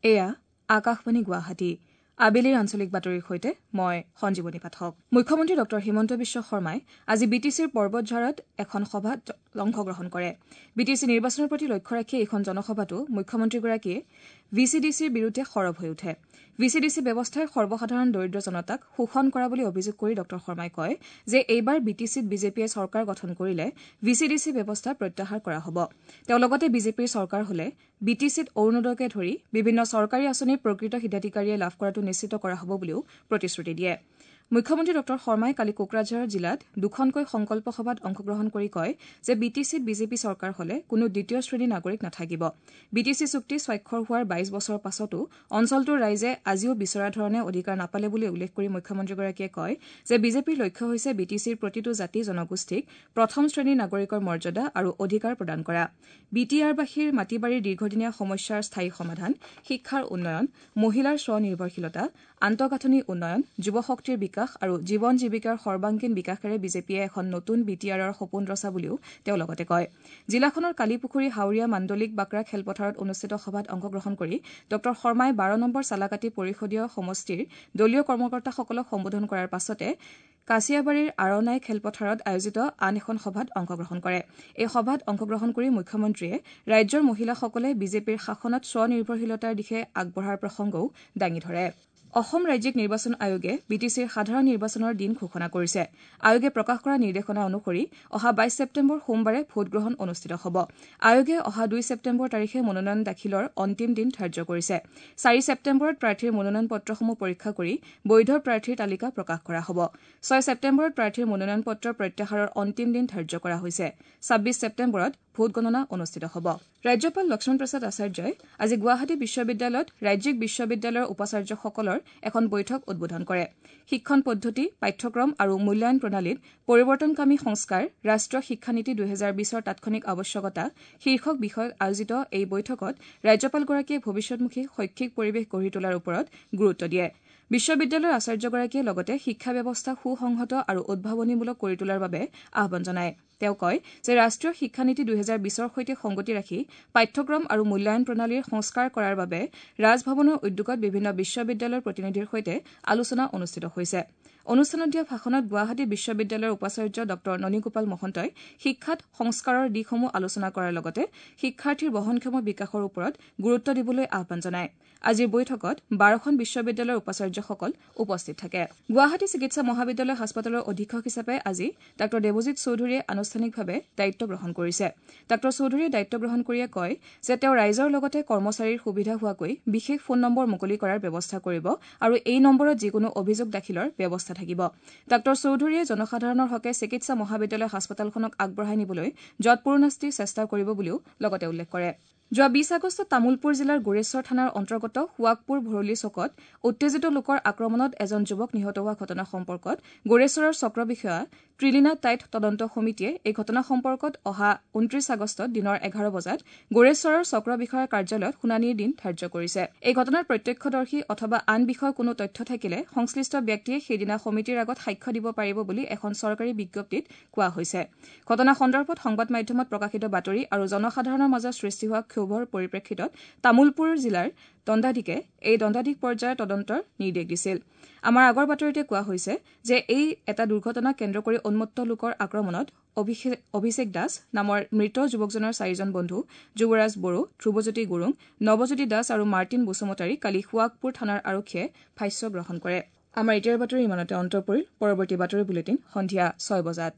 এয়া আকাশবাণী গুৱাহাটী। আবেলিৰ আঞ্চলিক বাতৰিৰ সৈতে মই সঞ্জীৱনী পাঠক। মুখ্যমন্ত্ৰী ডঃ হিমন্ত বিশ্ব শৰ্মাই আজি বি টি চিৰ পৰ্বতঝাৰত এখন সভাত অংশগ্ৰহণ কৰে। বি টি চি নিৰ্বাচনৰ প্ৰতি লক্ষ্য ৰাখি এইখন জনসভাতো মুখ্যমন্ত্ৰীগৰাকীয়ে ভি চি ডি চিৰ বিৰুদ্ধে সৰব হৈ উঠে। ভি চি ডি চি ব্যৱস্থাই সৰ্বসাধাৰণ দৰিদ্ৰ জনতাক শোষণ কৰা বুলি অভিযোগ কৰি ডঃ শৰ্মাই কয় যে এইবাৰ বি টি চিত বিজেপিয়ে চৰকাৰ গঠন কৰিলে ভি চি ডি চি ব্যৱস্থা প্ৰত্যাহাৰ কৰা হ'ব। তেওঁ লগতে বিজেপিৰ চৰকাৰ হলে বি টি চিত অৰুণোদয়কে ধৰি বিভিন্ন চৰকাৰী আঁচনিৰ প্ৰকৃত হিতাধিকাৰীয়ে লাভ কৰাটো নিশ্চিত কৰা হ'ব বুলিও প্ৰতিশ্ৰুতি দিয়ে। মুখ্যমন্ত্ৰী ডঃ শৰ্মাই কালি কোকৰাঝাৰ জিলাত দুখনকৈ সংকল্প সভাত অংশগ্ৰহণ কৰি কয় যে বি টি চিত বিজেপি চৰকাৰ হলে কোনো দ্বিতীয় শ্ৰেণীৰ নাগৰিক নাথাকিব। বি টি চি চুক্তি স্বাক্ষৰ হোৱাৰ ২২ বছৰৰ পাছতো অঞ্চলটোৰ ৰাইজে আজিও বিচৰা ধৰণে অধিকাৰ নাপালে বুলি উল্লেখ কৰি মুখ্যমন্ত্ৰীগৰাকীয়ে কয় যে বিজেপিৰ লক্ষ্য হৈছে বি টি চিৰ প্ৰতিটো জাতি জনগোষ্ঠীক প্ৰথম শ্ৰেণীৰ নাগৰিকৰ মৰ্যাদা আৰু অধিকাৰ প্ৰদান কৰা, বি টি আৰবাসীৰ মাটিবাৰীৰ দীৰ্ঘদিনীয়া সমস্যাৰ স্থায়ী সমাধান, শিক্ষাৰ উন্নয়ন, মহিলাৰ স্বনিৰ্ভৰশীলতা, আন্তঃগাঁথনি উন্নয়ন, যুৱ শক্তিৰ বিকাশ আৰু জীৱন জীৱিকাৰ সৰ্বাংগীন বিকাশেৰে বিজেপিয়ে এখন নতুন বি টি আৰৰ সপোন ৰচা বুলিও তেওঁ লগতে কয়। জিলাখনৰ কালিপুখুৰী হাওৰীয়া মাণ্ডলিক বাকৰা খেলপথাৰত অনুষ্ঠিত সভাত অংশগ্ৰহণ কৰি ডঃ শৰ্মাই ১২ নম্বৰ চালাকাটি পৰিষদীয় সমষ্টিৰ দলীয় কৰ্মকৰ্তাসকলক সম্বোধন কৰাৰ পাছতে কাছিয়াবাৰীৰ আৰণাই খেলপথাৰত আয়োজিত আন এখন সভাত অংশগ্ৰহণ কৰে। এই সভাত অংশগ্ৰহণ কৰি মুখ্যমন্ত্ৰীয়ে ৰাজ্যৰ মহিলাসকলে বিজেপিৰ শাসনত স্বনিৰ্ভৰশীলতাৰ দিশে আগবঢ়াৰ প্ৰসংগও দাঙি ধৰে। অসম ৰাজ্যিক নিৰ্বাচন আয়োগে বি টি চিৰ সাধাৰণ নিৰ্বাচনৰ দিন ঘোষণা কৰিছে। আয়োগে প্ৰকাশ কৰা নিৰ্দেশনা অনুসৰি অহা ২২ ছেপ্টেম্বৰ সোমবাৰে ভোটগ্ৰহণ অনুষ্ঠিত হ'ব। আয়োগে অহা ২ ছেপ্টেম্বৰ তাৰিখে মনোনয়ন দাখিলৰ অন্তিম দিন ধাৰ্য কৰিছে। ৪ ছেপ্টেম্বৰত প্ৰাৰ্থীৰ মনোনয়ন পত্ৰসমূহ পৰীক্ষা কৰি বৈধ প্ৰাৰ্থীৰ তালিকা প্ৰকাশ কৰা হ'ব। ৬ ছেপ্টেম্বৰত প্ৰাৰ্থীৰ মনোনয়ন পত্ৰ প্ৰত্যাহাৰৰ অন্তিম দিন ধাৰ্য কৰা হৈছে। ২৬ ছেপ্টেম্বৰত ভোটগণনা অনুষ্ঠিত হ'ব। ৰাজ্যপাল লক্ষ্মণ প্ৰসাদ আচাৰ্যই আজি গুৱাহাটী বিশ্ববিদ্যালয়ত ৰাজ্যিক বিশ্ববিদ্যালয়ৰ উপাচাৰ্যসকলৰ এখন বৈঠক উদ্বোধন কৰে। শিক্ষণ পদ্ধতি, পাঠ্যক্ৰম আৰু মূল্যায়ন প্ৰণালীত পৰিৱৰ্তনকামী সংস্কাৰ, ৰাষ্ট্ৰীয় শিক্ষানীতি ২০২০ৰ তাৎক্ষণিক আৱশ্যকতা শীৰ্ষক বিষয়ত আয়োজিত এই বৈঠকত ৰাজ্যপালগৰাকীয়ে ভৱিষ্যতমুখী শৈক্ষিক পৰিৱেশ গঢ়ি তোলাৰ ওপৰত গুৰুত্ব দিয়ে। বিশ্ববিদ্যালয়ৰ আচাৰ্যগৰাকীয়ে লগতে শিক্ষা ব্যৱস্থা সুসংহত আৰু উদ্ভাৱনীমূলক কৰি তোলাৰ বাবে আহ্বান জনায়। তেওঁ কয় যে ৰাষ্ট্ৰীয় শিক্ষানীতি ২০২০ৰ সৈতে সংগতি ৰাখি পাঠ্যক্ৰম আৰু মূল্যায়ন প্ৰণালীৰ সংস্কাৰ কৰাৰ বাবে ৰাজভৱনৰ উদ্যোগত বিভিন্ন বিশ্ববিদ্যালয়ৰ প্ৰতিনিধিৰ সৈতে আলোচনা অনুষ্ঠিত হৈছে। অনুষ্ঠানত দিয়া ভাষণত গুৱাহাটী বিশ্ববিদ্যালয়ৰ উপাচাৰ্য ডঃ ননীগোপাল মহন্তই শিক্ষাত সংস্কাৰৰ দিশসমূহ আলোচনা কৰাৰ লগতে শিক্ষাৰ্থীৰ বহনক্ষম বিকাশৰ ওপৰত গুৰুত্ব দিবলৈ আহ্বান জনায়। আজিৰ বৈঠকত ১২খন বিশ্ববিদ্যালয়ৰ উপাচাৰ্যসকল উপস্থিত থাকে। গুৱাহাটী চিকিৎসা মহাবিদ্যালয় হাস্পতালৰ অধীক্ষক হিচাপে আজি ডাঃ দেৱজিৎ চৌধুৰীয়ে আনুষ্ঠানিকভাৱে দায়িত্ব গ্ৰহণ কৰিছে। ডাঃ চৌধুৰীয়ে দায়িত্ব গ্ৰহণ কৰিয়ে কয় যে তেওঁ ৰাইজৰ লগতে কৰ্মচাৰীৰ সুবিধা হোৱাকৈ বিশেষ ফোন নম্বৰ মুকলি কৰাৰ ব্যৱস্থা কৰিব আৰু এই নম্বৰত যিকোনো অভিযোগ দাখিলৰ ব্যৱস্থা থাকিব। ডাঃ চৌধুৰীয়ে জনসাধাৰণৰ হকে চিকিৎসা মহাবিদ্যালয় হাস্পতালখনক আগবঢ়াই নিবলৈ যৎপৰোনাস্তি চেষ্টা কৰিব বুলিও লগতে উল্লেখ কৰে। যোৱা ২০ আগষ্টত তামুলপুৰ জিলাৰ গোৰেশ্বৰ থানাৰ অন্তৰ্গত সুৱাগপুৰ ভৰলী চকত উত্তেজিত লোকৰ আক্ৰমণত এজন যুৱক নিহত হোৱা ঘটনা সম্পৰ্কত গোৰেশ্বৰৰ চক্ৰ বিষয়া ত্ৰিলীনা টাইট তদন্ত সমিতিয়ে এই ঘটনা সম্পৰ্কত অহা ২৯ আগষ্টত দিনৰ ১১ বজাত গোৰেশ্বৰৰ চক্ৰ বিষয়াৰ কাৰ্যালয়ত শুনানিৰ দিন ধাৰ্য কৰিছে। এই ঘটনাৰ প্ৰত্যক্ষদৰ্শী অথবা আন বিষয়ৰ কোনো তথ্য থাকিলে সংশ্লিষ্ট ব্যক্তিয়ে সেইদিনা সমিতিৰ আগত সাক্ষ্য দিব পাৰিব বুলি এখন চৰকাৰী বিজ্ঞপ্তিত কোৱা হৈছে। ঘটনা সন্দৰ্ভত সংবাদ মাধ্যমত প্ৰকাশিত বাতৰি আৰু জনসাধাৰণৰ মাজত সৃষ্টি হোৱা ক্ষোভৰ পৰিপ্ৰেক্ষিতত তামুলপুৰ জিলাৰ দণ্ডাধীশে এই দণ্ডাধীশ পৰ্যায়ৰ তদন্তৰ নিৰ্দেশ দিছিল। আমাৰ আগৰ বাতৰিতে কোৱা হৈছে যে এই এটা দুৰ্ঘটনাক কেন্দ্ৰ কৰি উন্মত্ত লোকৰ আক্ৰমণত অভিষেক দাস নামৰ মৃত যুৱকজনৰ চাৰিজন বন্ধু যুৱৰাজ বড়ো, ধ্ৰুৱজ্যোতি গুৰুং, নৱজ্যোতি দাস আৰু মাৰ্টিন বসুমতাৰী কালি সুৱাগপুৰ থানাৰ আৰক্ষীয়ে ভাষ্য গ্ৰহণ কৰে। আমাৰ এতিয়াৰ বাতৰি ইমানতে অন্ত পৰিল। পৰৱৰ্তী বাতৰি বুলেটিন সন্ধিয়া ৬ বজাত।